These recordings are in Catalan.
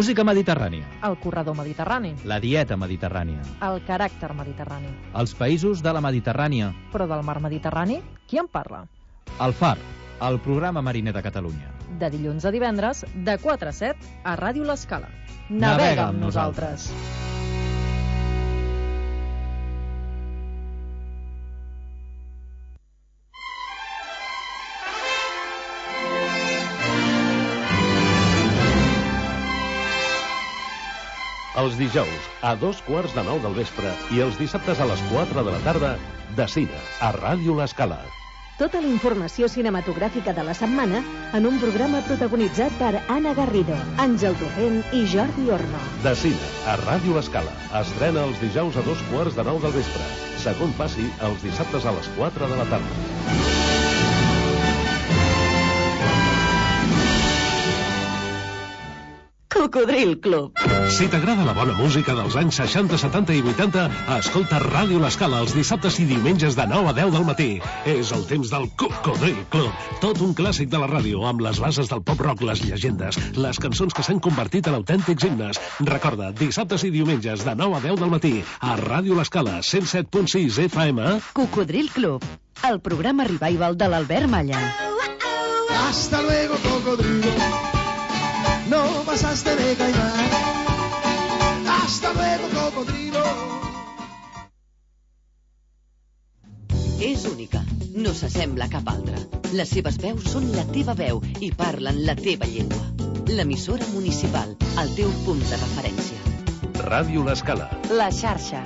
música mediterrània. El corredor mediterrani. La dieta mediterrània. El caràcter mediterrani. Els països de la Mediterrània. Però del mar Mediterrani, qui en parla? El Far, el programa mariner de Catalunya. De dilluns a divendres, de 4 a 7, a Ràdio L'Escala. Navega amb nosaltres. Els dijous, a 8:45 del vespre, i els dissabtes a les 4 de la tarda, de cine, a Ràdio L'Escala. Tota la informació cinematogràfica de la setmana en un programa protagonitzat per Anna Garrido, Àngel Torrent i Jordi Orno. De cine, a Ràdio L'Escala. Estrena els dijous a 8:45 del vespre. Segon passi, els dissabtes a les 4 de la tarda. Cocodril Club. Si t'agrada la bona música dels anys 60, 70 i 80, escolta Ràdio L'Escala els dissabtes i diumenges de 9 a 10 del matí. És el temps del Cocodril Club. Tot un clàssic de la ràdio, amb les bases del pop-rock, les llegendes, les cançons que s'han convertit en autèntics himnes. Recorda, dissabtes i diumenges de 9 a 10 del matí, a Ràdio L'Escala, 107.6 FM. Cocodril Club, el programa revival de l'Albert Malla. Hasta luego, cocodrilo. No pasaste de caimán. Hasta luego, cocodrilo. És única, no s'assembla a cap altra. Les seves veus són la teva veu i parlen la teva llengua. L'emissora municipal, el teu punt de referència. Ràdio L'Escala. La xarxa.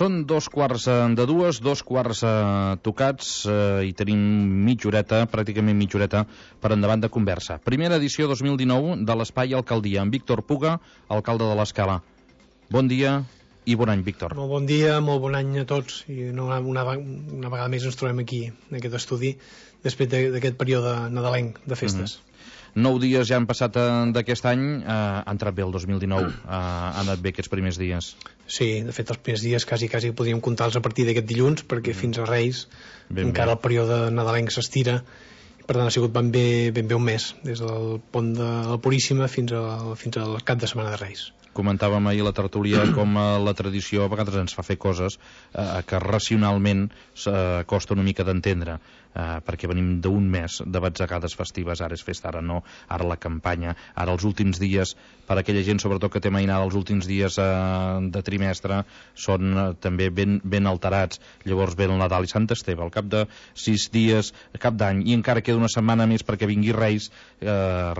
Són 2:45, 2:15 tocats, i tenim pràcticament mitja horeta, per endavant de conversa. Primera edició 2019 de l'Espai Alcaldia, amb Víctor Puga, alcalde de l'Escala. Bon dia i bon any, Víctor. Molt bon dia, molt bon any a tots. I una vegada més ens trobem aquí, en aquest estudi, després d'aquest període nadalenc de festes. 9 dies ja han passat d'aquest any, ha entrat bé el 2019, ha anat bé aquests primers dies. Sí, de fet els primers dies quasi podríem comptar-los a partir d'aquest dilluns, perquè fins a Reis encara el període nadalenc s'estira, i per tant ha sigut ben bé un mes, des del pont de la Puríssima fins al cap de setmana de Reis. Comentàvem ahir a la tertúlia com la tradició a vegades ens fa fer coses que racionalment costa una mica d'entendre, perquè venim d'un mes de batzegades festives, ara és festa, ara no, ara la campanya, ara els últims dies, per aquella gent sobretot que té mainada, els últims dies de trimestre són també ben alterats. Llavors ve el Nadal i Sant Esteve, al cap de 6 dies, cap d'any, i encara queda una setmana més perquè vingui Reis.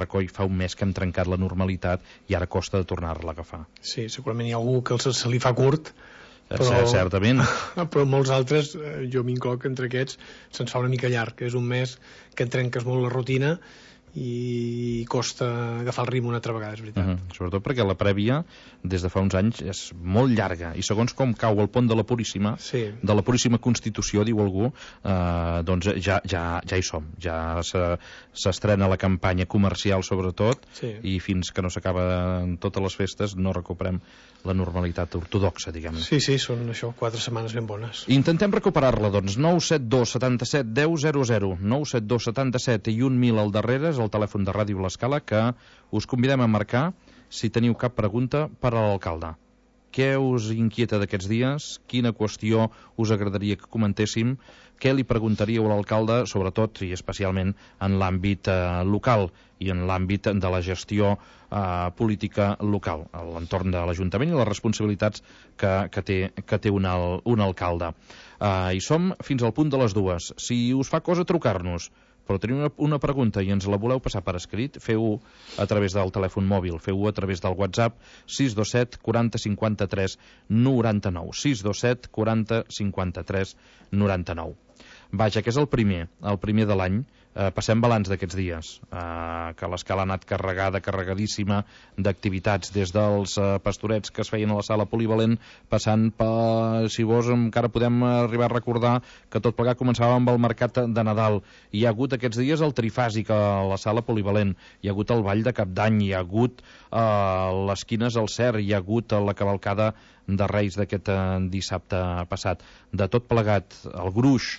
Recoll, fa un mes que hem trencat la normalitat i ara costa de tornar-la a agafar. Sí, segurament hi ha algú que se li fa curt, però, certament. Però molts altres, jo m'incloc entre aquests, se'ns fa una mica llarg, que és un mes que trenques molt la rutina i costa agafar el ritme una altra vegada, és veritat. Sobretot perquè la prèvia, des de fa uns anys, és molt llarga, i segons com cau el pont de la Puríssima, de la Puríssima Constitució, diu algú, doncs ja hi som, ja s'estrena la campanya comercial sobretot, i fins que no s'acaben totes les festes no recuperem la normalitat ortodoxa, diguem. Sí, són això, 4 setmanes ben bones. Intentem recuperar-la, doncs. 972 77 10 00, 972 77 i 1000 al darrere, és el telèfon de Ràdio L'Escala, que us convidem a marcar si teniu cap pregunta per a l'alcalde. Què us inquieta d'aquests dies? Quina qüestió us agradaria que comentéssim? Què li preguntaríeu a l'alcalde, sobretot i especialment en l'àmbit local i en l'àmbit de la gestió política local, a l'entorn de l'Ajuntament i les responsabilitats que té un alcalde. Hi som fins al punt de les 2. Si us fa cosa trucar-nos, però teniu una pregunta i ens la voleu passar per escrit, feu-ho a través del telèfon mòbil, feu-ho a través del WhatsApp 627 40 53 99, 627 40 53 99. Vaja, que és el primer de l'any, Passem balanç d'aquests dies, que l'escala ha anat carregadíssima d'activitats, des dels pastorets que es feien a la sala polivalent, passant per, si vols, encara podem arribar a recordar que tot plegat començava amb el mercat de Nadal. Hi ha hagut aquests dies el trifàsic a la sala polivalent, hi ha hagut el ball de Cap d'Any, hi ha hagut les quines al Cer, hi ha hagut la cavalcada de Reis d'aquest dissabte passat. De tot plegat, el gruix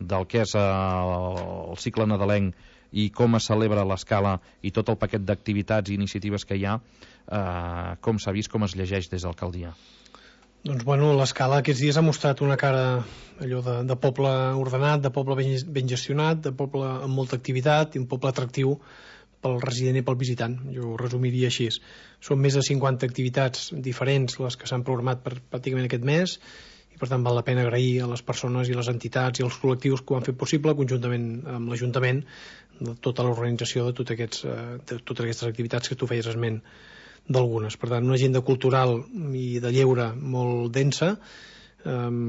del que és el cicle nadalenc i com es celebra l'escala i tot el paquet d'activitats i iniciatives que hi ha, com s'ha vist, com es llegeix des d'alcaldia? Doncs bueno, l'escala aquests dies ha mostrat una cara allò de poble ordenat, de poble ben gestionat, de poble amb molta activitat i un poble atractiu pel resident i pel visitant. Jo ho resumiria així. Són més de 50 activitats diferents les que s'han programat per pràcticament aquest mes, i per tant val la pena agrair a les persones i les entitats i els col·lectius que ho han fet possible, conjuntament amb l'Ajuntament, de tota l'organització de totes aquestes activitats que tu feies esment d'algunes. Per tant, una agenda cultural i de lleure molt densa,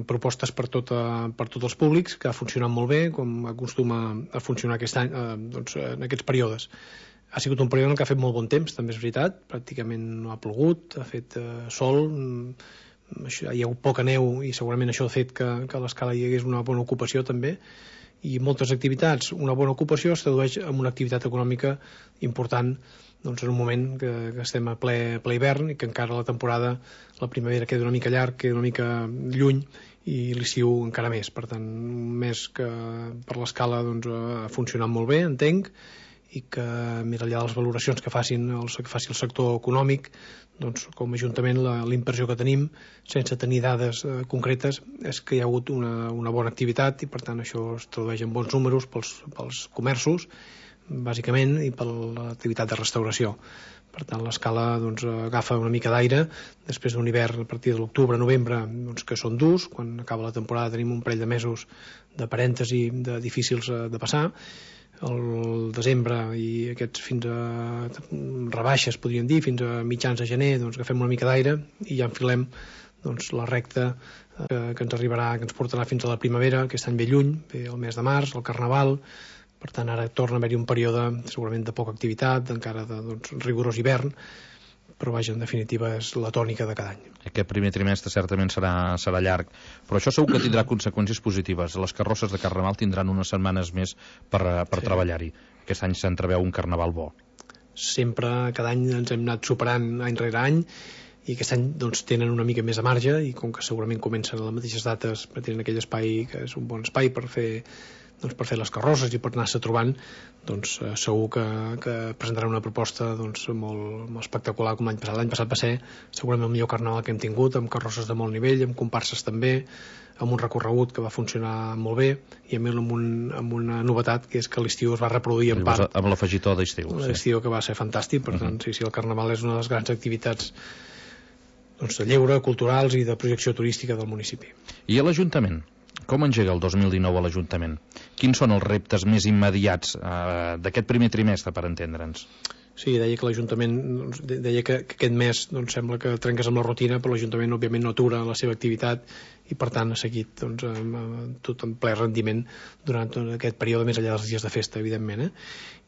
propostes per tots els públics, que ha funcionat molt bé, com acostuma a funcionar aquest any, en aquests períodes. Ha sigut un període en què ha fet molt bon temps, també és veritat, pràcticament no ha plogut, ha fet sol, hi ha hagut poca neu i segurament això ha fet que a l'escala hi hagués una bona ocupació també, i moltes activitats. Una bona ocupació es tradueix en una activitat econòmica important, doncs, en un moment que estem a ple hivern i que encara la temporada, la primavera queda una mica llarg, queda una mica lluny, i l'estiu encara més. Per tant, un mes que per l'escala doncs, ha funcionat molt bé, entenc, i que més enllà de les valoracions que faci el sector econòmic, doncs, com a Ajuntament la impressió que tenim, sense tenir dades concretes, és que hi ha hagut una bona activitat, i per tant això es tradueix en bons números pels comerços, bàsicament, i per l'activitat de restauració. Per tant, l'escala doncs, agafa una mica d'aire després d'un hivern a partir de l'octubre-novembre, doncs, que són durs. Quan acaba la temporada tenim un parell de mesos de parèntesi difícils de passar. El desembre i aquests fins a rebaixes, podríem dir, fins a mitjans de gener, doncs agafem una mica d'aire i ja enfilem doncs, la recta que ens arribarà, que ens portarà fins a la primavera, aquest any ve lluny, ve el mes de març, el Carnaval. Per tant, ara torna a haver-hi un període segurament de poca activitat, encara de rigorós hivern, però vaja, en definitiva és la tònica de cada any. Aquest primer trimestre certament serà llarg, però això segur que tindrà conseqüències positives. Les carrosses de Carnaval tindran unes setmanes més per treballar-hi. Aquest any s'entreveu un Carnaval bo. Sempre, cada any ens hem anat superant any rere any, i aquest any doncs, tenen una mica més de marge, i com que segurament comencen a les mateixes dates, tenen aquell espai que és un bon espai per fer les carrosses i per anar-se trobant, doncs segur que presentarà una proposta doncs, molt espectacular com l'any passat. L'any passat va ser segurament el millor Carnaval que hem tingut, amb carrosses de molt nivell, amb comparses també, amb un recorregut que va funcionar molt bé, i a més amb una novetat, que és que l'estiu es va reproduir en part. Amb l'afegitó d'estiu. L'estiu, que va ser fantàstic. Per tant, sí, el Carnaval és una de les grans activitats doncs, de lleure, culturals i de projecció turística del municipi. I a l'Ajuntament? Com engega el 2019 a l'Ajuntament? Quins són els reptes més immediats d'aquest primer trimestre, per entendre'ns? Sí, deia que l'Ajuntament, deia que aquest mes doncs, sembla que trenques amb la rutina, però l'Ajuntament òbviament no atura la seva activitat i per tant ha seguit doncs, tot en ple rendiment durant aquest període, més enllà dels dies de festa, evidentment.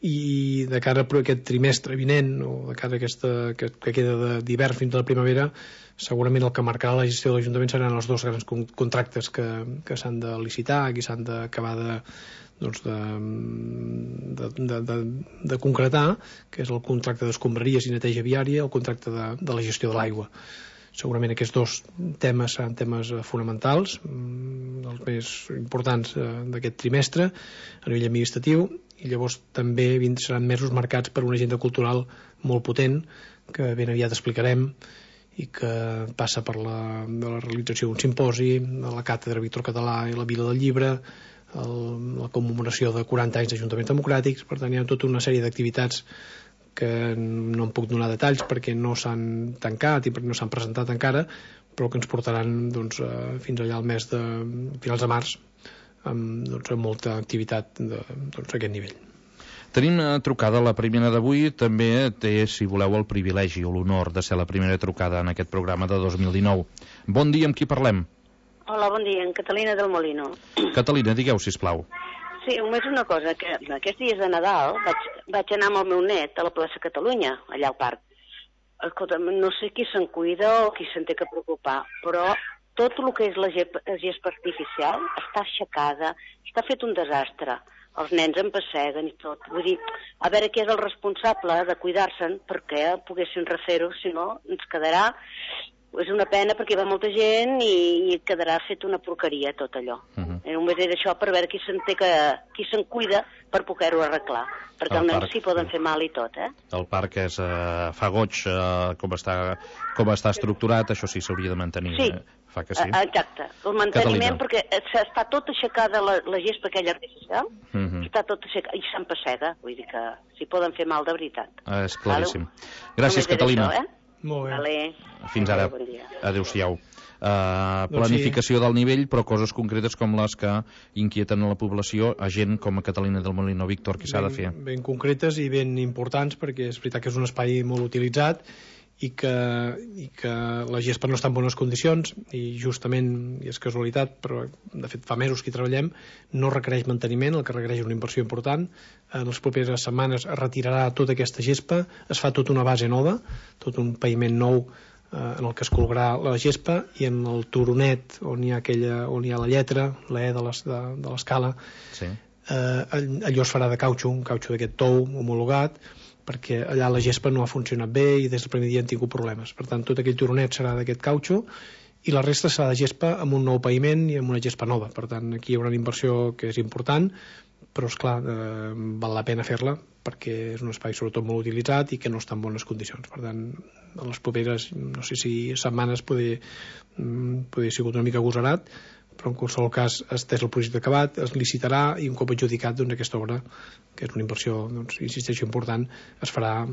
I de cara a aquest trimestre vinent, o de cara a que queda d'hivern fins a la primavera, segurament el que marcarà la gestió de l'Ajuntament seran els dos grans contractes que s'han de licitar, que s'han d'acabar de concretar, que és el contracte d'escombraries i neteja viària, el contracte de la gestió de l'aigua. Segurament aquests dos temes seran temes fonamentals, els més importants d'aquest trimestre a nivell administratiu, i llavors també seran mesos marcats per una agenda cultural molt potent que ben aviat explicarem, i que passa per la realització d'un simposi, la càtedra Víctor Català i la Vila del Llibre, la commemoració de 40 anys d'Ajuntaments Democràtics. Per tant, hi ha tota una sèrie d'activitats que no em puc donar detalls perquè no s'han tancat i perquè no s'han presentat encara, però que ens portaran doncs, fins allà al mes de finals de març amb molta activitat d'aquest nivell. Tenim trucada, la primera d'avui també té, si voleu, el privilegi o l'honor de ser la primera trucada en aquest programa de 2019. Bon dia, amb qui parlem? Hola, bon dia, en Catalina del Molino. Catalina, digueu, sisplau. Sí, només una cosa, que aquests dies de Nadal vaig anar amb el meu net a la plaça Catalunya, allà al parc. Escolta, no sé qui se'n cuida o qui se'n té que preocupar, però tot el que és la gespa artificial està aixecada, està fet un desastre. Els nens en passeguen i tot. Vull dir, a veure qui és el responsable de cuidar-se'n perquè poguessin refer-ho, si no ens quedarà... És una pena perquè hi va molta gent i quedarà fet una porqueria tot allò. Només era això per veure qui se'n cuida per poder-ho arreglar. Perquè els nens s'hi poden fer mal i tot, eh? El parc fa goig com està estructurat, això sí s'hauria de mantenir. Sí, fa que sí. Exacte. El manteniment, perquè està tot aixecada la gespa aquella artificial, està tot aixecada i s'empessega. Vull dir que s'hi poden fer mal de veritat. És claríssim. Gràcies, Catalina. Molt bé. Vale. Fins ara. Adéu-siau. Planificació del nivell, però coses concretes com les que inquieten a la població, a gent com a Catalina del Molino. Víctor, què s'ha de fer? Ben concretes i ben importants, perquè és veritat que és un espai molt utilitzat i que la gespa no està en bones condicions i justament, i és casualitat, però de fet fa mesos que hi treballem, no requereix manteniment, el que requereix una inversió important. En les properes setmanes es retirarà tota aquesta gespa, es fa tota una base nova, tot un paviment nou en el que es col·locarà la gespa, i en el turonet on hi ha la lletra, la E de l'escala, allò es farà de cautxo, un cautxo d'aquest tou homologat, perquè allà la gespa no ha funcionat bé i des del primer dia han tingut problemes. Per tant, tot aquell turonet serà d'aquest cautxo i la resta serà de gespa amb un nou paviment i amb una gespa nova. Per tant, aquí hi haurà una inversió que és important, però, esclar, val la pena fer-la perquè és un espai sobretot molt utilitzat i que no està en bones condicions. Per tant, en les properes, no sé si setmanes poder sigut una mica agosarat, però en qualsevol cas és el projecte acabat, es licitarà i un cop adjudicat aquesta obra, que és una inversió, insisteixo, important, es farà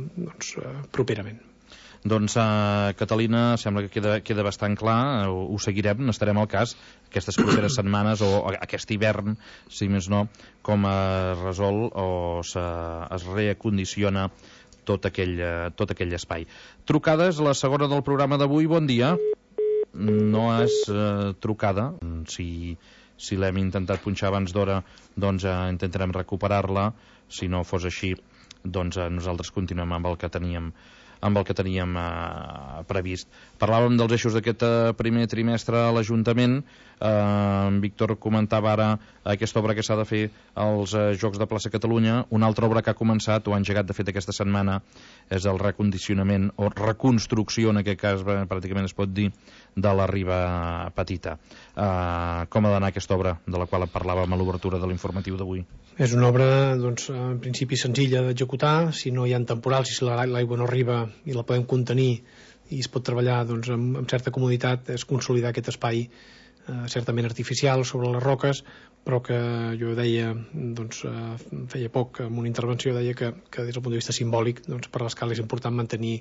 properament. Doncs, Catalina, sembla que queda bastant clar, ho seguirem, n'estarem al cas aquestes properes setmanes o aquest hivern, si més no, com es resol o es reacondiciona tot aquell espai. Trucades, la segona del programa d'avui, bon dia. No és trucada. Si l'hem intentat punxar abans d'hora, doncs intentarem recuperar-la. Si no fos així, doncs nosaltres continuem amb el que teníem previst. Parlàvem dels eixos d'aquest primer trimestre a l'Ajuntament. Víctor comentava ara aquesta obra que s'ha de fer als Jocs de Plaça Catalunya. Una altra obra que ha començat o ha engegat de fet aquesta setmana és el recondicionament o reconstrucció, en aquest cas pràcticament es pot dir, de la Riba Petita. Com ha d'anar aquesta obra de la qual parlàvem a l'obertura de l'informatiu d'avui? És una obra, en principi senzilla d'executar. Si no hi ha temporals i si l'aigua no arriba i la podem contenir i es pot treballar amb certa comoditat, és consolidar aquest espai certament artificial sobre les roques, però que jo deia, feia poc en una intervenció, deia que des del punt de vista simbòlic per l'escala és important mantenir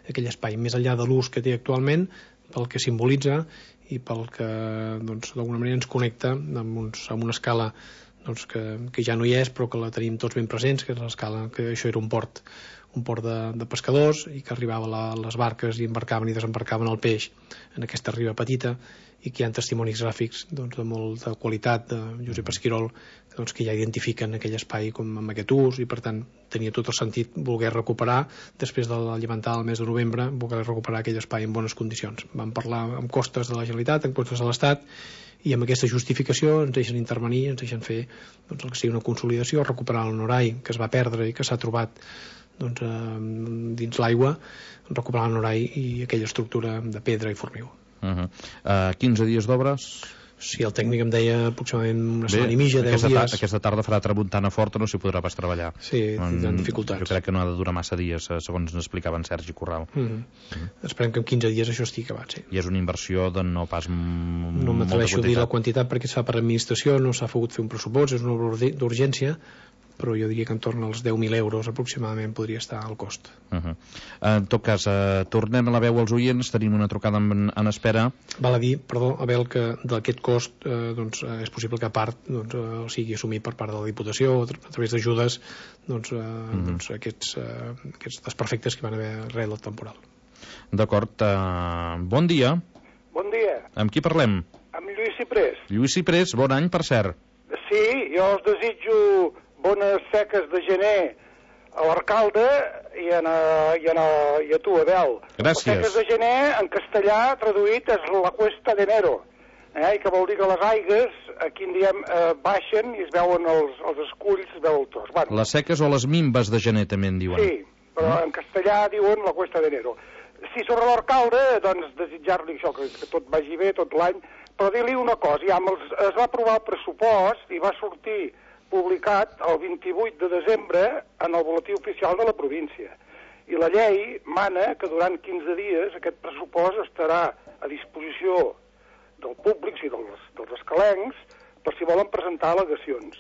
aquell espai, més enllà de l'ús que té actualment, pel que simbolitza i pel que d'alguna manera ens connecta amb una escala que ja no hi és però que la tenim tots ben presents, que és l'escala, que això era un port de pescadors i que arribava les barques i embarcaven i desembarcaven el peix en aquesta riba petita, i que hi ha testimonis gràfics de molta qualitat de Josep Esquirol que ja identifiquen aquell espai com amb aquest ús, i per tant tenia tot el sentit voler recuperar, després de la llevantada del mes de novembre, voler recuperar aquell espai en bones condicions. Vam parlar amb costes de la Generalitat, amb costes de l'Estat, i amb aquesta justificació ens deixen intervenir, ens deixen fer el que sigui una consolidació, recuperar el Norai que es va perdre i que s'ha trobat dins l'aigua, recuperar el Norai i aquella estructura de pedra i formigó. 15 dies d'obres? Sí, el tècnic em deia aproximadament una setmana i mitja, 10 dies. Aquesta tarda farà tramuntana forta, no s'hi podrà pas treballar. Sí, tindran dificultats. Jo crec que no ha de durar massa dies, segons ens explicava en Sergi Corral. Esperem que en 15 dies això estigui acabat, sí. I és una inversió de no pas no m'atreveixo a dir la quantitat perquè es fa per administració, no s'ha pogut fer un pressupost, és una obra d'urgència, però jo diria que entorn als 10.000 euros aproximadament podria estar al cost. En tot cas, tornem a la veu als oients, tenim una trucada en espera. Val a dir, perdó, Abel, que d'aquest cost és possible que a part sigui assumit per part de la Diputació a través d'ajudes aquests desperfectes que van haver arrel del temporal. D'acord. Bon dia. Bon dia. Amb qui parlem? Amb Lluís Ciprés. Lluís Ciprés, bon any, per cert. Sí, jo us desitjo bones seques de gener a l'alcalde i a tu, Abel. Gràcies. Les seques de gener, en castellà, traduït, és la cuesta d'enero, i que vol dir que les aigues, aquí en diem, baixen i es veuen els esculls del tos. Bueno, Les seques o les mimbes de gener, també en diuen. sí, però en castellà diuen la cuesta d'enero. Sí, sobre l'alcalde, doncs desitjar-li això, que tot vagi bé tot l'any, però dir-li una cosa, ja es va aprovar el pressupost i va sortir publicat el 28 de desembre en el boletí oficial de la província. I la llei mana que durant 15 dies aquest pressupost estarà a disposició del públic, i dels escalencs, per si volen presentar al·legacions.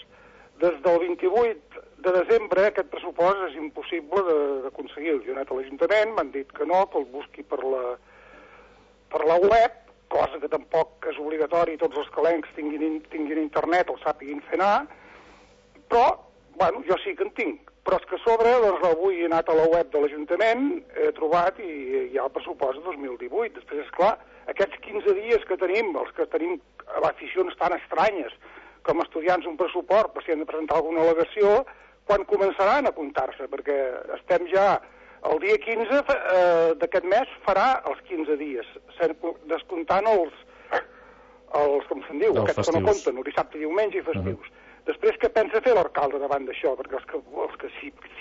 Des del 28 de desembre aquest pressupost és impossible d'aconseguir. Jo he anat a l'Ajuntament, m'han dit que no, que el busqui per la web, cosa que tampoc és obligatori, tots els escalencs tinguin internet, el sàpiguin fer anar, però, bueno, jo sí que en tinc. Però és que a sobre, doncs avui he anat a la web de l'Ajuntament, he trobat i hi ha el pressupost de 2018. Després, esclar, aquests 15 dies que tenim, els que tenim aficions tan estranyes com estudiants un pressupost, per si han de presentar alguna al·legació, quan començaran a comptar-se? Perquè estem ja el dia 15 d'aquest mes farà els 15 dies, descomptant els com se'n diu, aquests que no compten, el dissabte, diumenge i festius. Després, què pensa fer l'alcalde davant d'això? Perquè els que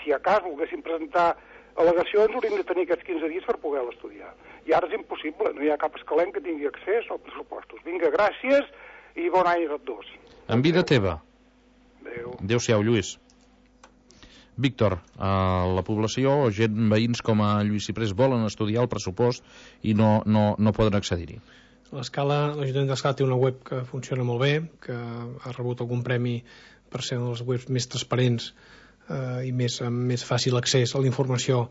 si a cas volguessin presentar al·legacions haurien de tenir aquests 15 dies per poder estudiar. I ara és impossible, no hi ha cap escalenc que tingui accés als pressupostos. Vinga, gràcies i bon any a tots dos. En vida teva. Adéu. Adéu-siau, Lluís. Víctor, la població, gent, veïns com a Lluís Ciprés, volen estudiar el pressupost i no poden accedir-hi. L'Ajuntament d'Escala té una web que funciona molt bé, que ha rebut algun premi per ser una de les webs més transparents i amb més fàcil accés a la informació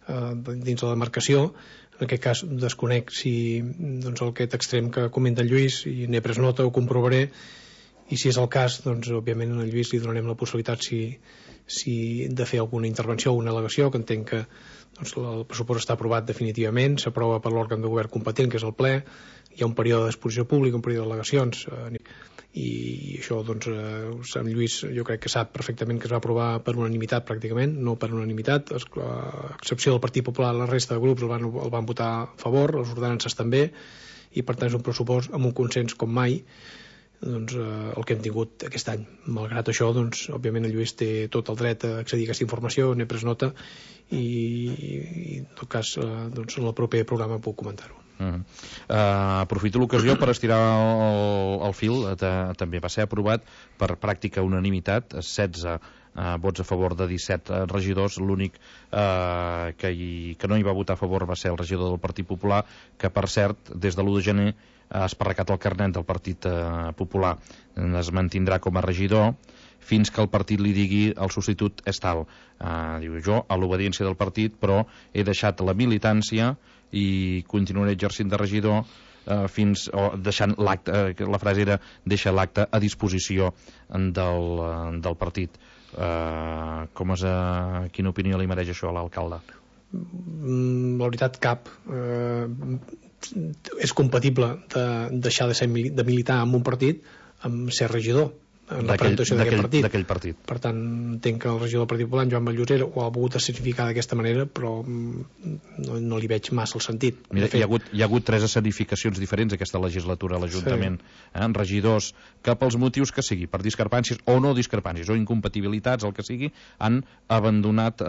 dins de la demarcació. En aquest cas desconec si aquest extrem que comenta el Lluís, i n'he pres nota, ho comprovaré, i si és el cas, doncs òbviament a Lluís li donarem la possibilitat si de fer alguna intervenció o una al·legació, que entenc que el pressupost està aprovat definitivament, s'aprova per l'òrgan de govern competent, que és el ple, hi ha un període d'exposició pública, un període d'al·legacions, i això, en Lluís jo crec que sap perfectament que es va aprovar per unanimitat pràcticament, no per unanimitat, a excepció del Partit Popular, la resta de grups el van votar a favor, les ordenances també, i per tant és un pressupost amb un consens com mai, el que hem tingut aquest any. Malgrat això, òbviament el Lluís té tot el dret a accedir a aquesta informació, n'he pres nota i en tot cas en el proper programa puc comentar-ho. Aprofito l'ocasió per estirar el fil. També va ser aprovat per pràctica unanimitat, 16 vots a favor de 17 regidors. L'únic que no hi va votar a favor va ser el regidor del Partit Popular, que per cert des de l'1 de gener ha esparracat el carnet del Partit Popular. Es mantindrà com a regidor fins que el partit li digui el substitut és tal. Diu, jo a l'obediència del partit, però he deixat la militància i continuaré exercint de regidor deixant l'acte, la frase era deixa l'acte a disposició del partit. Quina opinió li mereix això a l'alcalde? La veritat, cap. És compatible de deixar de militar en un partit amb ser regidor en la presentació d'aquell partit. Per tant, entenc que el regidor del Partit Popular, Joan Vallosera, ho ha volgut escenificar d'aquesta manera, però no li veig massa el sentit. Mira, hi ha hagut 3 escenificacions diferents aquesta legislatura a l'Ajuntament. Sí. Regidors que pels motius que sigui, per discrepàncies o no discrepàncies, o incompatibilitats, el que sigui, han abandonat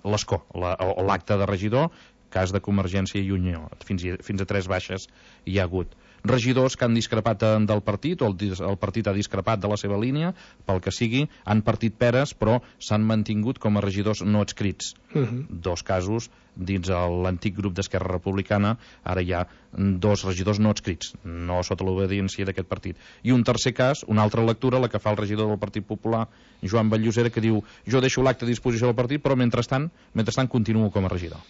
l'escó, o l'acte de regidor, cas de Convergència i Unió. Fins a 3 baixes hi ha hagut. Regidors que han discrepat del partit, o el partit ha discrepat de la seva línia, pel que sigui, han partit peres, però s'han mantingut com a regidors no adscrits. 2 casos dins l'antic grup d'Esquerra Republicana, ara hi ha 2 regidors no adscrits, no sota l'obediència d'aquest partit. I un tercer cas, una altra lectura, la que fa el regidor del Partit Popular, Joan Vallosera, que diu, jo deixo l'acte a disposició del partit, però mentrestant continuo com a regidor.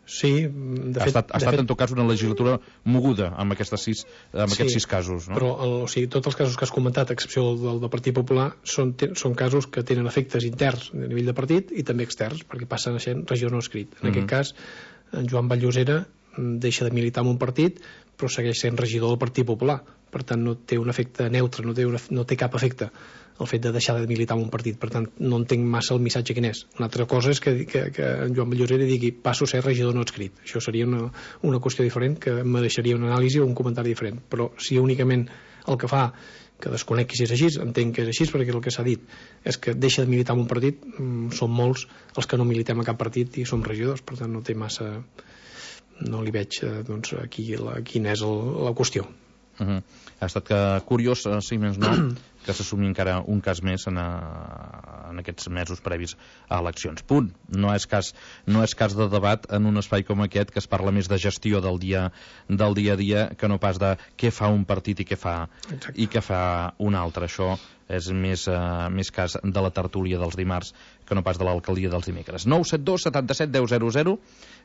Sí, ha estat en tot cas una legislatura moguda amb aquests 6 casos, no? Però tots els casos que has comentat, a excepció del Partit Popular, són casos que tenen efectes interns a nivell de partit i també externs, perquè passen a ser regidor no escrit. En aquest cas, en Joan Vallosera deixa de militar en un partit, però segueix sent regidor del Partit Popular. per tant no té un efecte neutre, no té cap efecte el fet de deixar de militar en un partit. Per tant, no entenc massa el missatge quin és. Una altra cosa és que en Joan Vallosera digui passo a ser regidor no adscrit. Això seria una qüestió diferent que mereixeria una anàlisi o un comentari diferent. Però si únicament el que fa, que desconec si és així, entenc que és així perquè el que s'ha dit és que deixa de militar en un partit, som molts els que no militem a cap partit i som regidors, per tant no té massa, no li veig quina és la qüestió. Ha estat curiós, si més no, que s'assumi encara un cas més en aquests mesos previs a eleccions. Punt. No és cas de debat en un espai com aquest, que es parla més de gestió del dia a dia que no pas de què fa un partit i què fa un altre. Això és més cas de la tertúlia dels dimarts que no pas de l'alcaldia dels dimecres. 972 77 10 00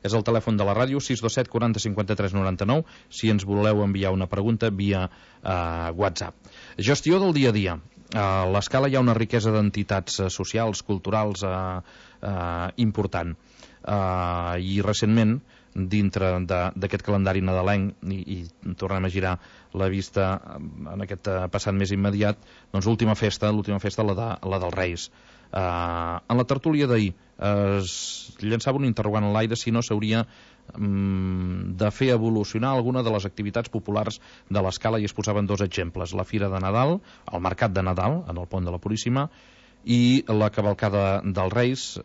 és el telèfon de la ràdio, 627 40 53 99 si ens voleu enviar una pregunta via WhatsApp. Gestió del dia a dia. A l'Escala hi ha una riquesa d'entitats socials, culturals important. I recentment, dintre d'aquest calendari nadalenc, i tornem a girar la vista en aquest passat més immediat, doncs l'última festa, la dels Reis. En la tertúlia d'ahir es llançava un interrogant en l'aire si no s'hauria de fer evolucionar alguna de les activitats populars de l'Escala, i es posaven dos exemples: la Fira de Nadal, el Mercat de Nadal en el Pont de la Puríssima, i la cavalcada dels Reis,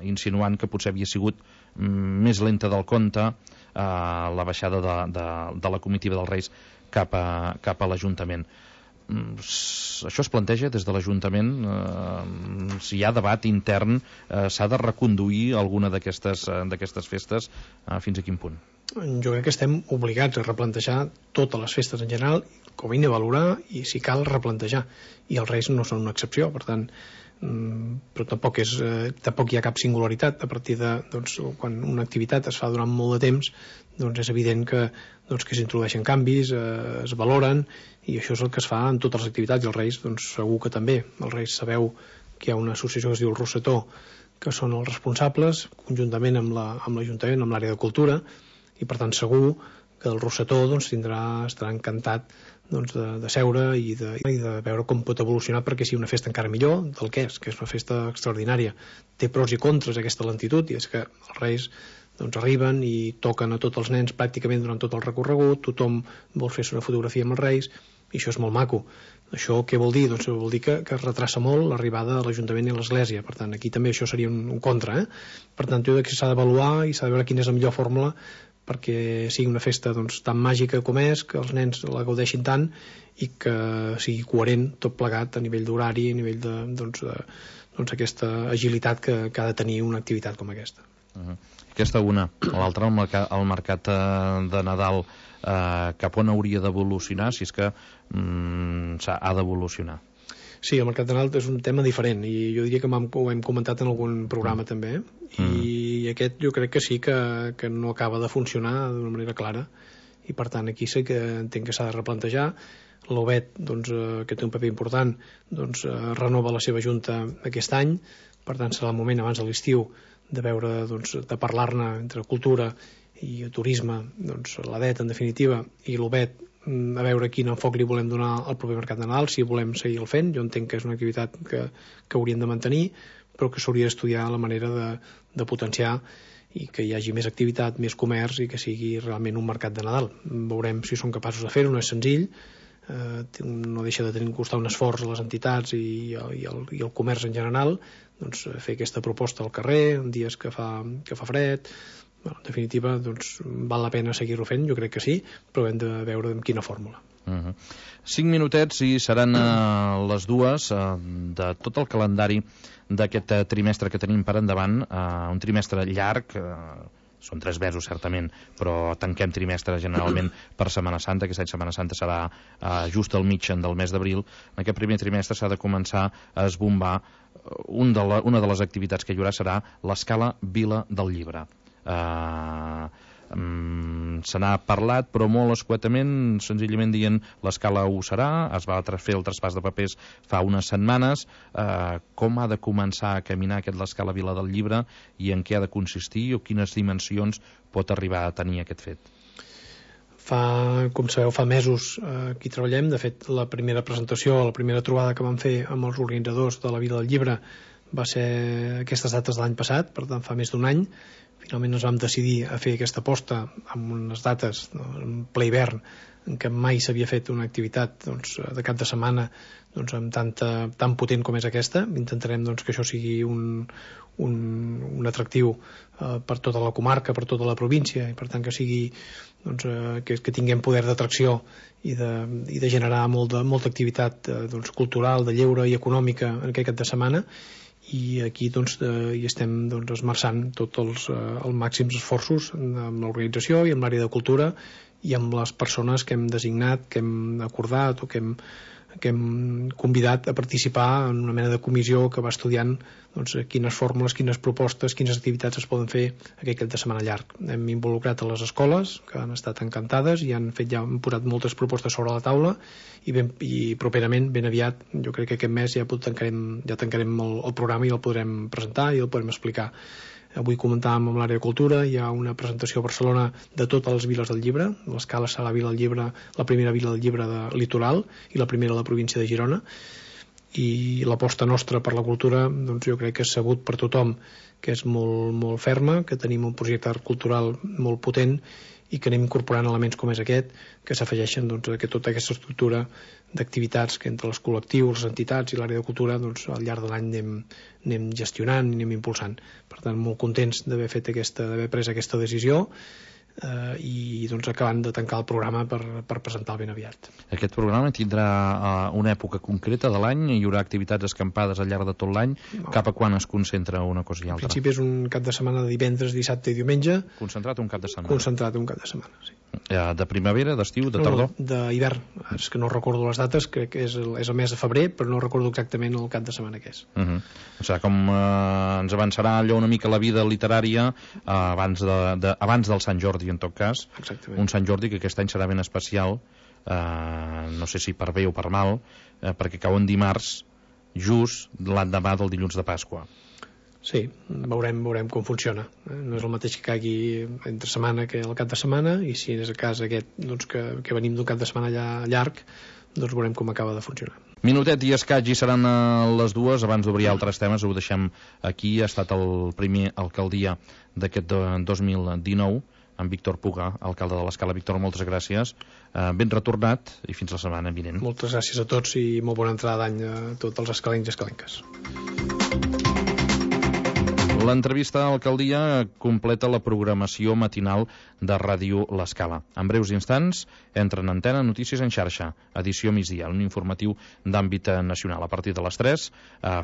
insinuant que potser havia sigut més lenta del compte la baixada de la comitiva dels Reis cap a l'Ajuntament. Això es planteja des de l'Ajuntament, si hi ha debat intern, s'ha de reconduir alguna d'aquestes festes, fins a quin punt? Jo crec que estem obligats a replantejar totes les festes en general, com a mínim valorar i si cal replantejar, i els Reis no són una excepció. Per tant, però tampoc hi ha cap singularitat. A partir de quan una activitat es fa durant molt de temps, és evident que s'introdueixen canvis, es valoren, i això és el que es fa en totes les activitats, i els Reis segur que també. Els Reis sabeu que hi ha una associació que es diu el Rosetó, que són els responsables, conjuntament amb l'Ajuntament, amb l'àrea de cultura, i per tant segur que el Rosetó estarà encantat de seure i de veure com pot evolucionar perquè sigui una festa encara millor del que és una festa extraordinària. Té pros i contres aquesta lentitud, i és que els Reis arriben i toquen a tots els nens pràcticament durant tot el recorregut, tothom vol fer-se una fotografia amb els Reis, i això és molt maco. Això què vol dir? Vol dir que es retrassa molt l'arribada a l'Ajuntament i a l'Església. Per tant, aquí també això seria un contra. Per tant, jo crec que s'ha d'avaluar i s'ha de veure quina és la millor fórmula perquè sigui una festa tan màgica com és, que els nens la gaudeixin tant i que sigui coherent tot plegat a nivell d'horari, a nivell d'aquesta agilitat que ha de tenir una activitat com aquesta. Aquesta una. L'altra, el mercat de Nadal, cap on hauria d'evolucionar, si és que ha d'evolucionar? Sí, el mercat de Nadal és un tema diferent, i jo diria que ho hem comentat en algun programa també, i aquest jo crec que sí que no acaba de funcionar d'una manera clara, i per tant aquí sí que entenc que s'ha de replantejar. L'Obet, que té un paper important, renova la seva junta aquest any, per tant serà el moment abans de l'estiu de veure, de parlar-ne entre cultura i turisme, l'ADET en definitiva i l'Obet, a veure quin enfoc li volem donar al proper mercat de Nadal, si volem seguir el fent. Jo entenc que és una activitat que hauríem de mantenir, però que s'hauria d'estudiar la manera de potenciar i que hi hagi més activitat, més comerç, i que sigui realment un mercat de Nadal. Veurem si són capaços de fer-ho, no és senzill, no deixa de costar un esforç a les entitats i el comerç en general, fer aquesta proposta al carrer en dies que fa fred. En definitiva, val la pena seguir-ho fent, jo crec que sí, però hem de veure en quina fórmula. 5 minutets i seran les 2 de tot el calendari d'aquest trimestre que tenim per endavant, un trimestre llarg, són 3 mesos certament, però tanquem trimestre generalment per Setmana Santa. Aquest any Setmana Santa serà just al mig del mes d'abril. En aquest primer trimestre s'ha de començar a esbombar. Una de les activitats que hi haurà serà l'Escala Vila del Llibre. Se n'ha parlat, però molt escuetament, senzillament dient l'Escala ho serà. Es va fer el traspàs de papers fa unes setmanes. Com ha de començar a caminar l'Escala Vila del Llibre i en què ha de consistir o quines dimensions pot arribar a tenir aquest fet? Com sabeu, fa mesos que hi treballem. De fet, la primera presentació, la primera trobada que vam fer amb els organitzadors de la Vila del Llibre va ser aquestes dates de l'any passat, per tant fa més d'un any. Finalment ens vam decidir a fer aquesta aposta amb unes dates en ple hivern en què mai s'havia fet una activitat de cap de setmana tan potent com és aquesta. Intentarem que això sigui un atractiu per tota la comarca, per tota la província, i per tant que sigui que tinguem poder d'atracció i de generar molta activitat cultural, de lleure i econòmica en aquest cap de setmana. I aquí hi estem esmerçant tots els màxims esforços amb l'organització i amb l'àrea de cultura i amb les persones que hem designat, que hem acordat o que hem convidat a participar en una mena de comissió que va estudiant quines fórmules, quines propostes, quines activitats es poden fer aquest cap de setmana llarg. Hem involucrat a les escoles, que han estat encantades i han posat moltes propostes sobre la taula, i properament, ben aviat, jo crec que aquest mes ja tancarem el programa i el podrem presentar i el podrem explicar. Avui comentàvem amb l'àrea de cultura, hi ha una presentació a Barcelona de totes les viles del llibre. L'Escala serà la vila del llibre, la primera vila del llibre de litoral i la primera de la província de Girona. I l'aposta nostra per la cultura jo crec que és sabut per tothom que és molt, molt ferma, que tenim un projecte cultural molt potent i que anem incorporant elements com és aquest, que s'afegeixen a tota aquesta estructura d'activitats que entre els col·lectius, les entitats i l'àrea de cultura al llarg de l'any anem gestionant i anem impulsant. Per tant, molt contents d'haver pres aquesta decisió i acabant de tancar el programa per presentar-lo ben aviat. Aquest programa tindrà una època concreta de l'any? Hi haurà activitats escampades al llarg de tot l'any? No. Cap a quan es concentra una cosa i altra? En principi és un cap de setmana de divendres, dissabte i diumenge. Concentrat un cap de setmana? Concentrat un cap de setmana, sí. De primavera, d'estiu, de tardor? No, d'hivern. És que no recordo les dates, crec que és el mes de febrer, però no recordo exactament el cap de setmana que és. O sigui, com ens avançarà allò una mica la vida literària abans del Sant Jordi, en tot cas. Exactament. Un Sant Jordi que aquest any serà ben especial, no sé si per bé o per mal, perquè cau en dimarts, just l'endemà del dilluns de Pasqua. Sí, veurem com funciona. No és el mateix que caigui entre setmana que el cap de setmana, i si és el cas aquest que venim d'un cap de setmana llarg, veurem com acaba de funcionar. Minutet i escaig i seran les dues. Abans d'obrir altres temes, ho deixem aquí. Ha estat el primer alcaldia d'aquest 2019, amb Víctor Puga, alcalde de l'Escala. Víctor, moltes gràcies. Ben retornat i fins la setmana vinent. Moltes gràcies a tots i molt bona entrada d'any a tots els escalencs i escalenques. L'entrevista a l'alcaldia completa la programació matinal de Ràdio L'Escala. En breus instants, entra en antena Notícies en xarxa, edició migdia, un informatiu d'àmbit nacional. A partir de les 3,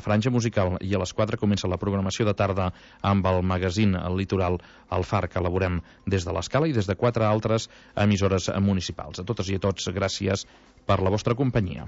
franja musical, i a les 4 comença la programació de tarda amb el magazín Litoral al Far, que elaborem des de l'Escala i des de 4 altres emissores municipals. A totes i a tots, gràcies per la vostra companyia.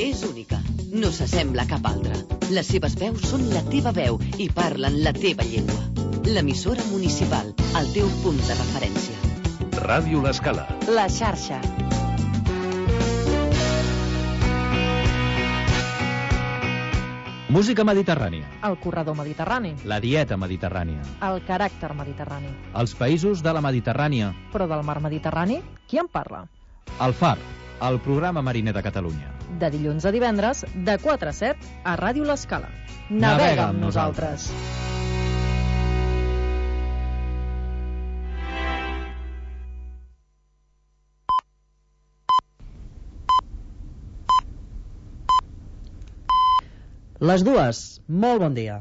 És única, no s'assembla a cap altra. Les seves veus són la teva veu i parlen la teva llengua. L'emissora municipal, el teu punt de referència. Ràdio L'Escala. La xarxa. Música mediterrània. El corredor mediterrani. La dieta mediterrània. El caràcter mediterrani. Els països de la Mediterrània. Però del mar Mediterrani, qui en parla? El Far, el programa mariner de Catalunya. De dilluns a divendres, de 4 a 7, a Ràdio L'Escala. Navega amb nosaltres. Les dues, molt bon dia.